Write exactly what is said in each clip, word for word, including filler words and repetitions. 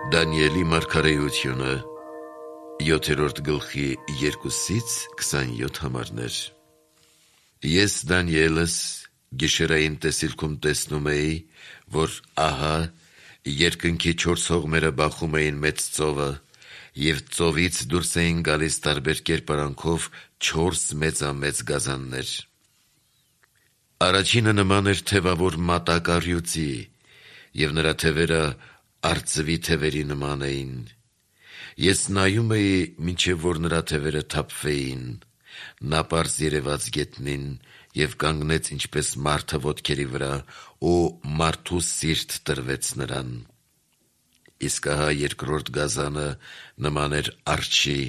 Դանիելի մարգարեությունը յոթերորդ գլխի երկուսից քսանյոթ համարներ։ Ես Դանիելս գիշերային տեսիլքում տեսնում էի, որ ահա երկնքի չորս հողմերը բախում էին մեծ ծովը, և ծովից դուրս էին գալիս տարբեր կերպարանքով չորս մեծամեծ գազաններ։ Առաջինը նման էր թևավոր մատակառյուծի, և նրա թևերը արծվի թևերի նման էին։ Ես նայում էի, մինչև որ նրա թևերը թափվեին, նա պարզ երևաց գետնին և կանգնեց ինչպես մարդը ոտքերի վրա, ու մարդու սիրտ տրվեց նրան։ Իսկ ահա երկրորդ գազանը նման էր արջի,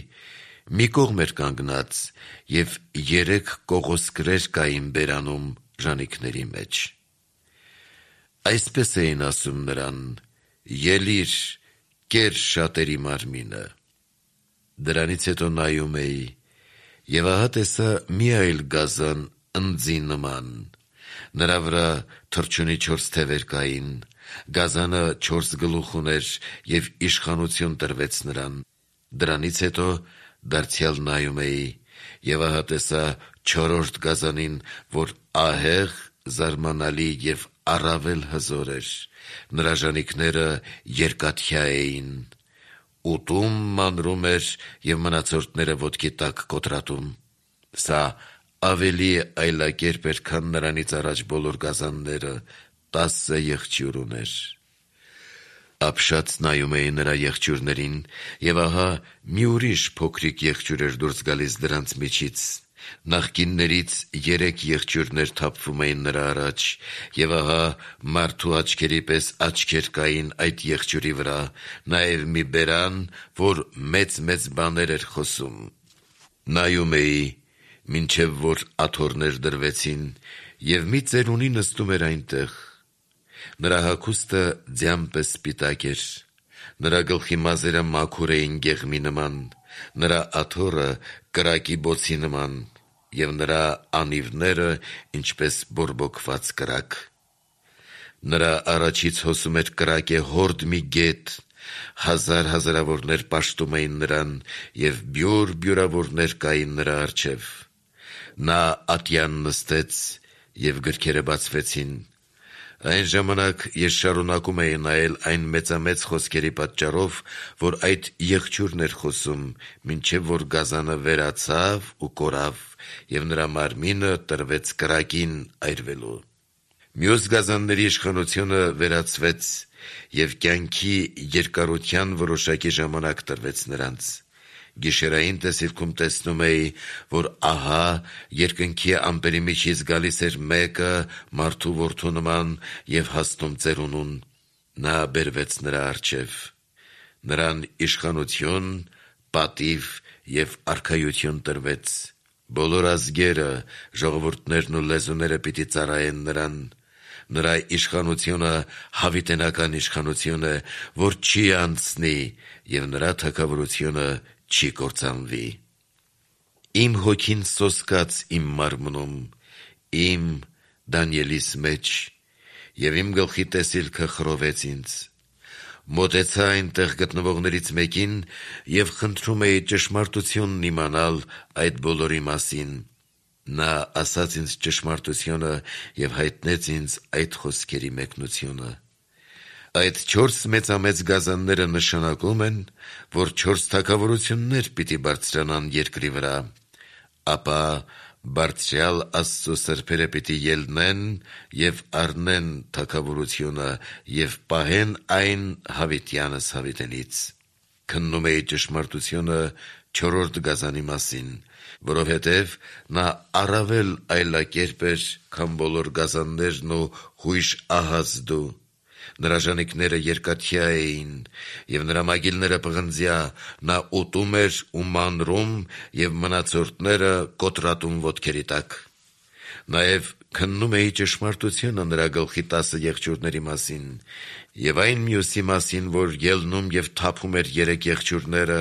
մի կողմ էր կանգնած, և երեք կողոսկրեր կային բերանում ժանիքների մեջ։ Այսպես էին ասում նրան. «Ելիր, կեր շատերի մարմինը»։ Դրանից հետո նայում էի, և ահա տեսա մի այլ գազան ընձի նման, նրա վրա թռչունի չորս թևեր կային, գազանը չորս գլուխ ուներ, և իշխանություն տրվեց նրան։ Դրանից հետո դարձյալ նայում էի, և ահա տեսա չորրորդ գազանին, որ ահեղ, զարմանալի և առավել հզոր էր, նրա ժանիքները երկաթյա էին, ուտում մանրում էր և մնացորդները ոտքի տակ կոտրատում։ Սա ավելի այլակերպ էր, քան նրանից առաջ բոլոր գազանները, տասը եղջյուր ուներ։ Ապշած նայում էի նրա եղջյուրներին, և ահա մի ուրիշ փոքրիկ եղջյուր էր դուրս գալիս դրանց միջից։ Նախկիններից երեք եղջյուրներ թափվում էին նրա առաջ, և ահա մարդու աչքերի պես աչքեր կային այդ եղջյուրի վրա, նաև մի բերան, որ մեծ-մեծ բաներ էր խոսում։ Նայում էի, մինչև որ աթոռներ դրվեցին, և մի ծերունի նստում էր այնտեղ։ Նրա հագուստը ձյան պես սպիտակ էր, նրա գլխի մազերը մաքուր էին գեղմի նման, նրա աթոռը կրակի բոցի նման, և նրա անիվները ինչպես բորբոքված կրակ։ Նրա առաջից հոսում էր կրակե հորդ մի գետ, հազար հազարավորներ պաշտում էին նրան, և բյուր բյուրավորներ կային նրա առջև։ Նա ատյան նստեց, և գրքերը բացվեցին։ Այն ժամանակ ես շարունակում էի նայել այն մեծամեծ խոսքերի պատճառով, որ այդ եղջյուրն էր խոսում, մինչև որ գազանը վերացավ ու կորավ, և նրա մարմինը տրվեց կրակին այրվելու։ Մյուս գազանների իշխանությունը վերացվեց, և կյանքի երկարության որոշակի ժամանակ տրվեց նրանց։ Գիշերային տեսիլքում տեսնում էի, որ ահա երկնքի ամպերի միջից գալիս էր մեկը մարդու որդու նման և հասնում ծերունուն։ Նա բերվեց նրա առջև։ Նրան իշխանություն, պատիվ և արքայություն տրվեց։ Բոլոր ազգերը, ժողովուրդներն ու լեզուները պիտի ծառայեն նրան։ Նրա իշխանությունը հավիտենական իշխանություն է, որ չի անցնի, և նրա թագավորությունը չի կործանվի։ Իմ հոգին սոսկաց իմ մարմնում, իմ՝ Դանիելիս մեջ, և իմ գլխի տեսիլքը խռովեց ինձ։ Մոտեցա այնտեղ գտնվողներից մեկին և խնդրում էի ճշմարտությունն իմանալ այդ բոլորի մասին։ Նա ասաց ինձ ճշմարտությունը և հայտնեց ինձ այդ խոսքերի մեկնությունը։ Այդ չորս մեծամեծ գազանները նշանակում են, որ չորս թագավորություններ պիտի բարձրանան երկրի վրա, ապա Բարձրյալ Աստծո սրբերը պիտի ելնեն և առնեն թագավորությունը և պահեն այն հավիտյանս հավիտենից։ Քննում էի ճշմարտությունը չորրորդ գազանի մասին, որովհետև նա առավել այլակերպ էր, քան բոլոր գազաններն ու հույժ ահազդու։ Նրա ժանիքները երկաթյա էին, և նրա մագիլները պղնձյա, նա ուտում էր ու մանրում, և մնացորդները կոտրատում ոտքերի տակ։ Նաև քննում էի ճշմարտությունը նրա գլխի տասը եղջյուրների մասին, և այն մյուսի մասին, որ ելնում և թափում էր երեք եղջյուրները,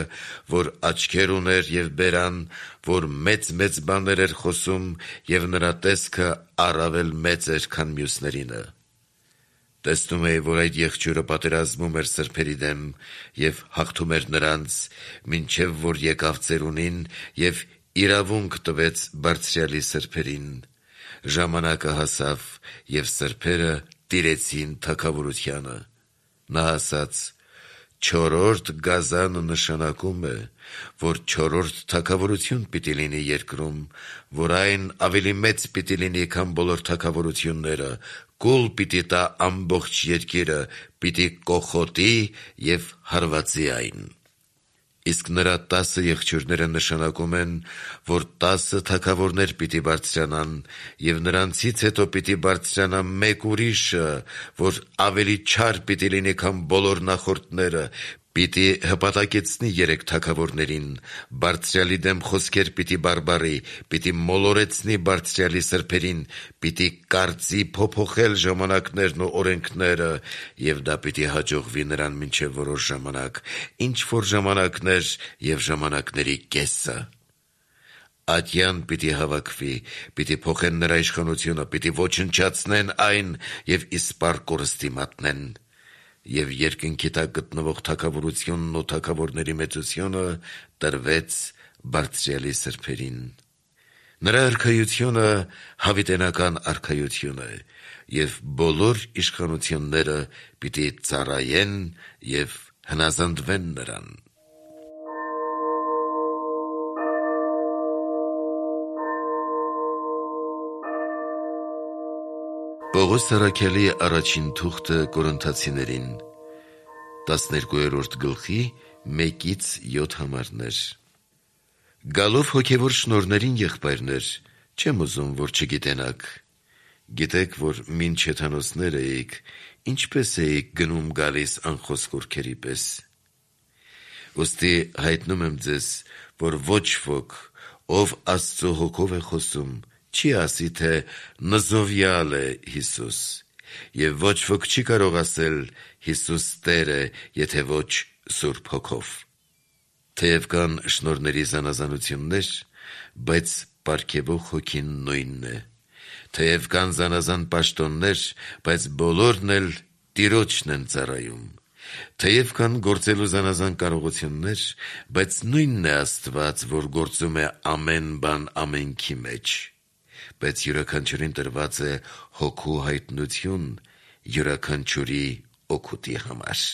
որ աչքեր ուներ և բերան, որ մեծ-մեծ բաներ էր խոսում, և նրա տեսքը առավել մեծ էր, քան մյուսներինը։ Տեսնում էի, որ այդ եղջյուրը պատերազմում էր սրբերի դեմ և հաղթում էր նրանց, մինչև որ եկավ ծերունին և իրավունք տվեց Բարձրյալի սրբերին։ Ժամանակը հասավ, և սրբերը տիրեցին թագավորությանը։ Նա ասաց. «Չորրորդ գազանը նշանակում է, որ չորրորդ թագավորություն պիտի լինի երկրում, որ այն ավելի մեծ պիտի լինի, քան բոլոր թագավորությունները, կուլ պիտի տա ամբողջ երկիրը, պիտի կոխոտի և հարվածի այն»։ Իսկ նրա տասը եղջյուրները նշանակում են, որ տասը թագավորներ պիտի բարձրանան, և նրանցից հետո պիտի բարձրանա մեկ ուրիշը, որ ավելի չար պիտի լինի, քան բոլոր նախորդները, պիտի հպատակեցնի երեք թագավորներին, Բարձրյալի դեմ խոսքեր պիտի բարբառի, պիտի մոլորեցնի Բարձրյալի սրբերին, պիտի կարծի փոփոխել ժամանակներն ու օրենքները, և դա պիտի հաջողվի նրան մինչև որոշ ժամանակ, ինչ-որ ժամանակներ և ժամանակների կեսը։ Ատյան պիտի հավաքվի, պիտի փոխեն նրա իշխանությունը, պիտի ոչնչացնեն այն և իսպառ կորստի մատնեն։ Եվ երկնքի տակ գտնվող թագավորությունն ու թագավորների մեծությունը տրվեց Բարձրյալի սրբերին։ Նրա արքայությունը հավիտենական արքայություն է, և բոլոր իշխանությունները պիտի ծառայեն և հնազանդվեն նրան։ Պողոս առաքյալի առաջին թուղթը Կորինթացիներին, տասներկուերորդ գլխի մեկից յոթ համարներ։ Գալով հոգևոր շնորհներին, եղբայրներ, չեմ ուզում, որ չգիտենաք։ Գիտեք, որ մինչ հեթանոսներ էիք, ինչպես էիք գնում գալիս անխոսք ուրքերի պես։ Ուստի հայտնում եմ ձեզ, որ ոչ ոք, ով Աստծու հոգով է խոսում, չի ասի, թե նզովյալ է Հիսուս, և ոչ ոք չի կարող ասել Հիսուս Տեր է, եթե ոչ Սուրբ Հոգով։ Թեև կան շնորհների զանազանություններ, բայց պարգևող Հոգին նույնն է։ Թեև կան զանազան պաշտոններ, բայց բոլորն էլ Տիրոջն են ծառայում։ Թեև կան գործելու զանազան կարողություններ, բայց նույնն է Աստված, որ գործում է ամեն բան ամենքի մեջ։ Բայց յուրաքանչյուրին տրված է Հոգու հայտնություն յուրաքանչյուրի օգուտի համար։